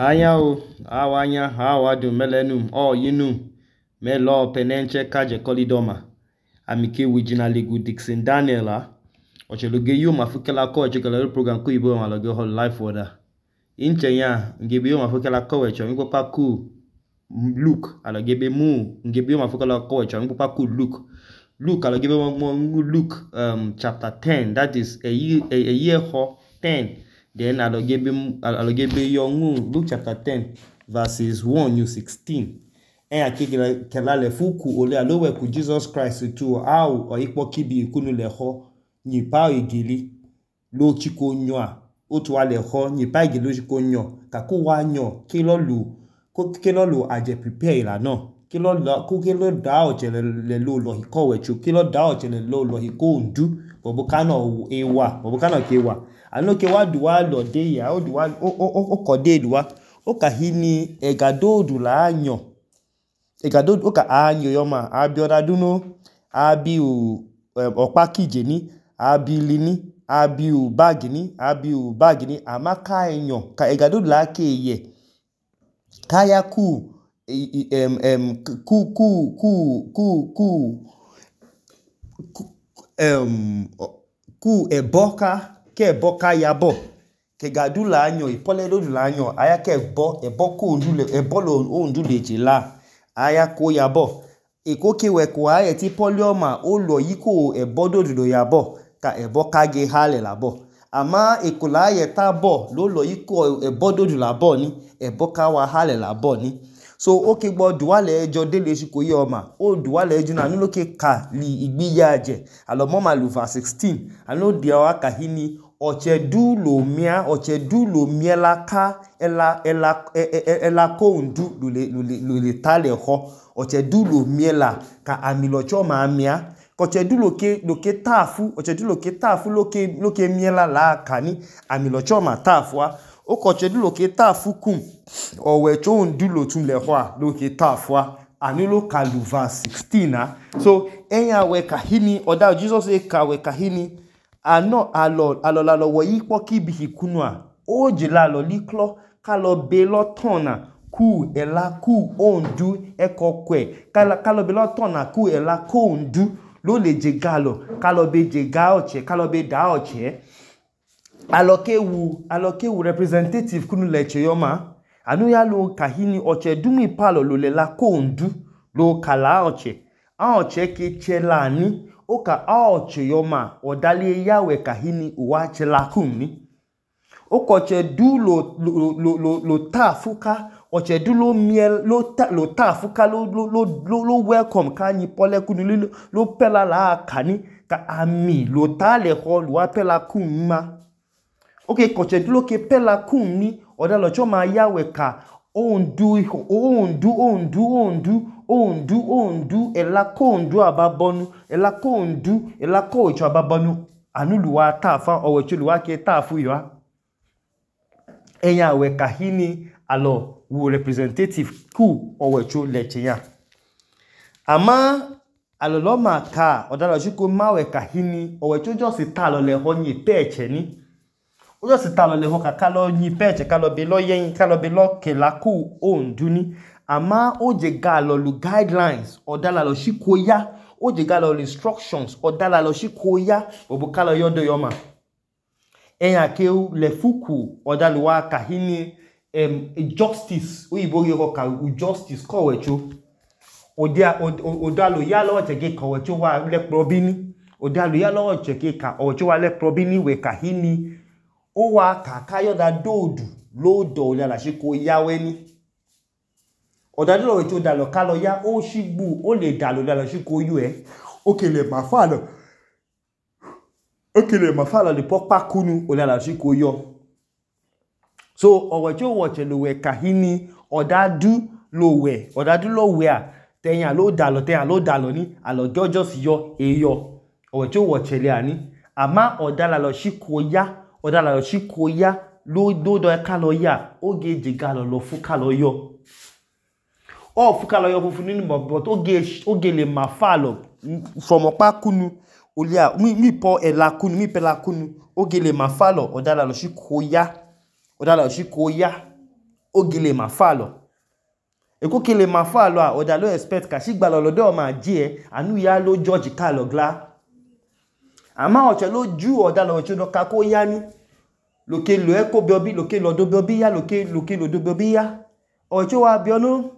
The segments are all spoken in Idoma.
Anyao, awanya, awadu, melenum, yinum, melo penenche kaje kolidoma. Amike wijina ligu Dixon Daniela. Ocheloge yu mafukela ko chekala program ko ibo maloge whole life order. Inche ya, ngebe yu mafukela ko wecho mi papa ku Luke, alogebe mu, ngebe yu mafukela ko wecho mi papa ku Luke. Luke alogebe mu Luke chapter 10, that is a year 10. Then alogebe yongu Luke chapter 10 verses 1 to 16. En kela le fuku ole alowe ku Jesus Christ tu au o ipo kibi ikunu le ho ni pa igili lo chiko nyoa otu wa le ho ni pa igili lo chiko nyo ka ko wa nyo kilo lu aje prepare la no kilo da o chele le lo hiko wechu kilo da o chele lo hiko ndu bobo kano kewa ano ke wa duwa lo de ya o duwa o kode duwa o ka hini egadodu la anyo egadodu o ka anyo yoma abioda duno abiu opakije ni abilini abiu bag ni amaka enyo ka egadodu la ke ye kaya ku eboka yabo ke gadula anyo ipole dodula anyo aya ke ebo ko ndule ebolo o ndule jela aya ko yabo eko ke we ko aya ti polioma o lo yiko ebododo yabo ka eboka ge hale labo ama ekola aye tabo lo yiko ebododo labo ni eboka wa hale labo ni so oke gbo duwale ejo dele siko ye oma o duwale ejo na nulo ke ka li igbiya je alomo ma lu verse 16 anu dia wa ka hini ochedu lo miela ka ela ko ndu lule tale ho ochedu lo miela ka amilocho ma amia ochedu lo ke tafu ochedu lo ke tafu lo ke miela la kani amilocho ma tafua o kochedu lo ke tafu kum owecho ndu lo tun le ho lo ke tafua anilo ka lu verse 16 na so enya we ka hini oda Jesus e ka we ka hini ano alo wo yipo kibi hikunu a o jila lo liklo ka lo be lo tona ku ela ku ondu ekokwe kalo be lo tona ku ela ku ondu lo le jegalo kalo be jega oche kalo be da oche alokewu representative kunu leche yoma anu ya lo kahini oche dumi palo lo le la ku ondu lo kala oche a oche ke chelani oka aoche yoma odali yawe kahini uwache lakuni okoche du lo tafuka oche du lo miel lo tafuka lo welcome kanyi pole kunu lo pela la kani ka ami lo tale ho lo pela kunma okay koche du lo ke pela kunni odalo choma yawe ka ondu ela kondu ababonu ela ko icho ababonu anuluwa tafa owechuluwa ke tafu yo enya we kahini alo wu representative ku owechu leche ya ama aloloma ka odalo chuko mawe kahini owechu just talo le honyi peche ni o just talo le ho ka kalo nyi peche kalo be lo yen kalo be lo kelaku onduni ama oje galo lu guidelines odala lo shikoya oje galo instructions odala lo shikoya obukalo yodo yoma enya ke le fuku odalu wa kahini justice oyibo ye ko ka justice ko wecho odalo ya lo cheke ko wecho wa le probini odalo ya lo cheke ka ocho wa le probini we kahini o wa kakayo da dodu lodo la shikoya weni odadilo wecho dalo kalo ya o shigbu o le dalo dalo shiko yu okele mafalo le popa kunu o dalo shiko yo so owecho woche lo we kahini odadu lo we a tenya lo dalo ni alo just yo eyo owecho woche le ani ama odala lo shiko ya lo do kalo ya oge jigalo lo fukalo yo o fukalo yo fufu nini but oge le mafalo from opa kunu olia mi po ela kunu mi pela kunu oge le mafalo odala lo shikoya ogile mafalo eko kile mafalo a oda lo expect ka shigba lolode o ma je anu ya lo George ka lo gla ama oche lo ju oda lo oche do ka ko ya ni loke lo eko biobi loke lo do biobi ya loke lo do biobi ya oche wa biono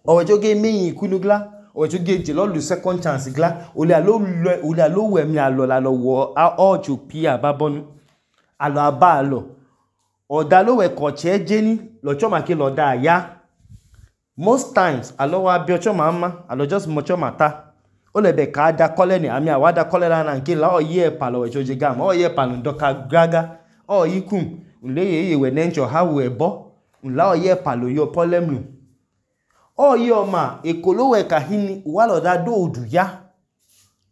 oche ge meyin ikunu gla oche ge je lo lu second chance gla ole alo we mi alo la lo wo oche pi ababonu alo aba alo oda lo we ko che je ni lo choma ke lo da ya most times alo wa bi choma ma alo just mo choma ta o le be ka da kole ni ami awada kole la na nke la o ye palo we choje gam o ye palo ndoka gaga o yikum nle ye we nencho ha we bo nla o ye palo yo problem nu o ye o ma ekolo we ka hini wa lo da do odu ya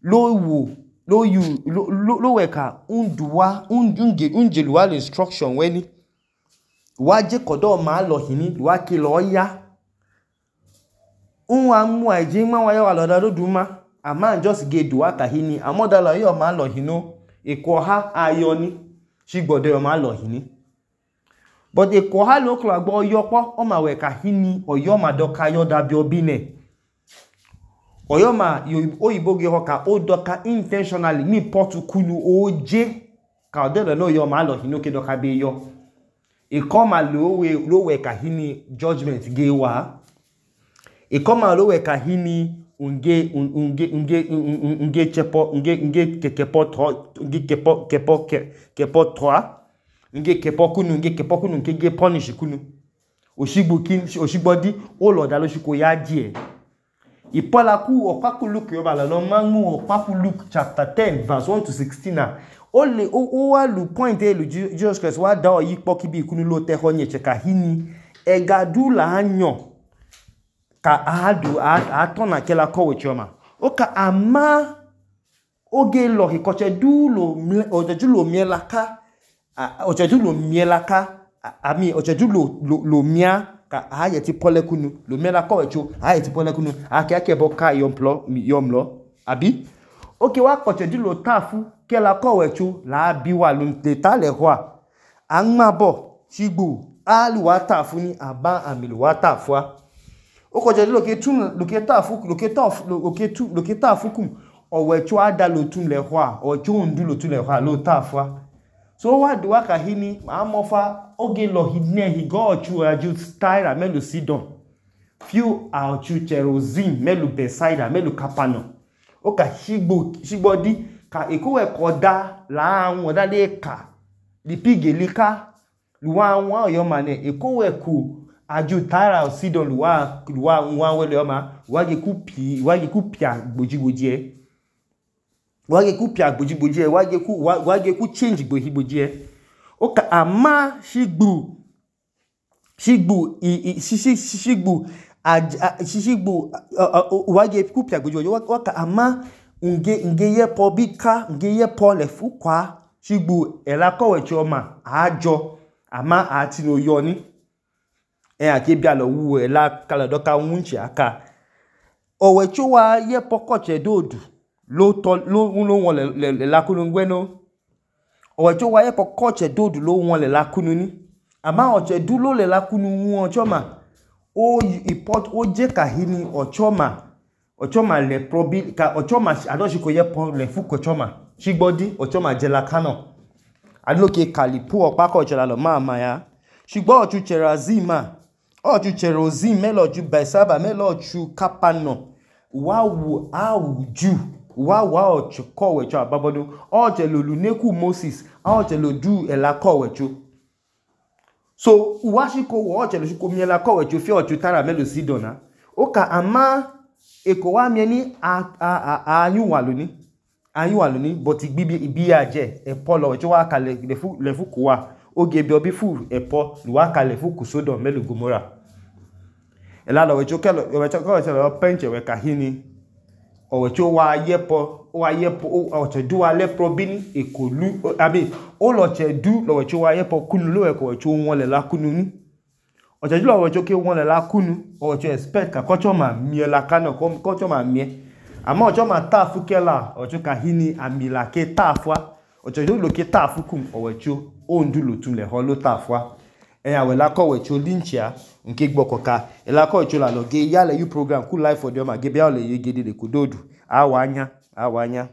lo wo lo we ka unduwa unjeluwa instruction we ni wa je kodo ma lo hini wa ki lo ya unwa mu aje ma wa ya wa lo da do ma ama just ge duwa ka hini amoda lo yo ma lo hino eko ha ayo ni shigbodo yo ma lo hini but eko ha lo klo agbo yo po o ma we ka hini oyo ma do ka yo da bi obi ne oyo ma oyibo ge ho ka o do ka intentionally mi potu kunu oje ka de no yo ma lo hino ke do ka be yo eko ma lo we ka hini judgment ge wa eko ma lo we ka hini unge chepo kepo 3 nge kepo kunu nke ge punish kunu oshigbo di o lo da lo shiko ya die ipola ku opaku Luke yo ba lo mamu opaku Luke chapter 10 verse 1 to 16 na o wa lu point e lu Jesus Christ wa da o yipo ki bi kunu lo te ho nye cheka hini egadu la anyo ka atona kela ko we choma o ka ama oge lo hikoche du lo ojeju lo mielaka ojeju lo mielaka ami ojeju lo mia ka ayeti pole kunu lo mielaka we cho ayeti pole kunu ake bo ka yomlo abi oke wa kocheju lo tafu kela ko we cho la bi wa lo te ta le ho anma bo shigbo alu wa tafu ni aba amilu wa tafu o ko je lo ke ta fukum o we cho ada lo tun le ho o cho ndu lo tun le ho lo ta fa so wa do ka hini ma mo fa oge lo hidne hi go chu aju style melu sidon few out chu cherozin melu beside melu kapano o ka shigbo di ka eko we ko da la awon da le ka di pigelika luwa awon oyo mane eko we ku aju tara sidon luwa nwa wele oma wage kupia gboji e wage ku change gboji e o ka ama shigbu wage kupia gboji o ka ama nge ye po bika nge ye po le fukwa shigbu elako we choma ajo ama ati no yo ni ake bia lo wu la kala do ka wunchi aka owe chuwa ye pokoche dodu lo won le lakunu ngweno owe chuwa ye pokoche dodu lo won le lakunu ni ama oche du lo le lakunu won choma o je ka hini ochoma le probi ka ochoma adoshiko ye pon le fuko choma shigbodi ochoma je lakano aloke kalipu opako chela lo mama ya shigbo ochu cherazima oju cherozin meloju besaba meloju kapano wawu awuju wa ochu kowecho ababodo oje lolu neku Moses oje lodu elakowecho so uwashiko wo oje loshiko mi elakowecho fi ochu tara melo sidona oka ama eko wa mi ni ayun ni but igbi aje epolo wecho wa kale le fuku wa oge bi obi fu epo luwa kale fuku sodo melu Gomora ela lo wecho lo penche we ka hini o wecho wa yepo o du wa le probini ekolu abi o lo che du lo wecho wa yepo kunu lo we ko wecho won le la kunu ni o che du lo wecho ke won le la kunu o wecho expect ka kocho ma mie la kana kocho ma mie ama ocho ma tafu kela ocho ka hini amila ke tafwa ocho lo ke tafu kum o wecho o ndu lo tun le ho lo tafwa ẹ̀yà wẹ̀ lákọ̀ wẹ̀ tí ó línchia nke gbọ̀kọ̀ka ẹ̀lákọ̀ ìtò làlọ́ gé yálẹ̀ yú program kú life ọdẹ ọmọ gẹ́bí àwọ̀lẹ̀ yẹ gẹ́dẹ̀ kò dòdù àwọ̀ anya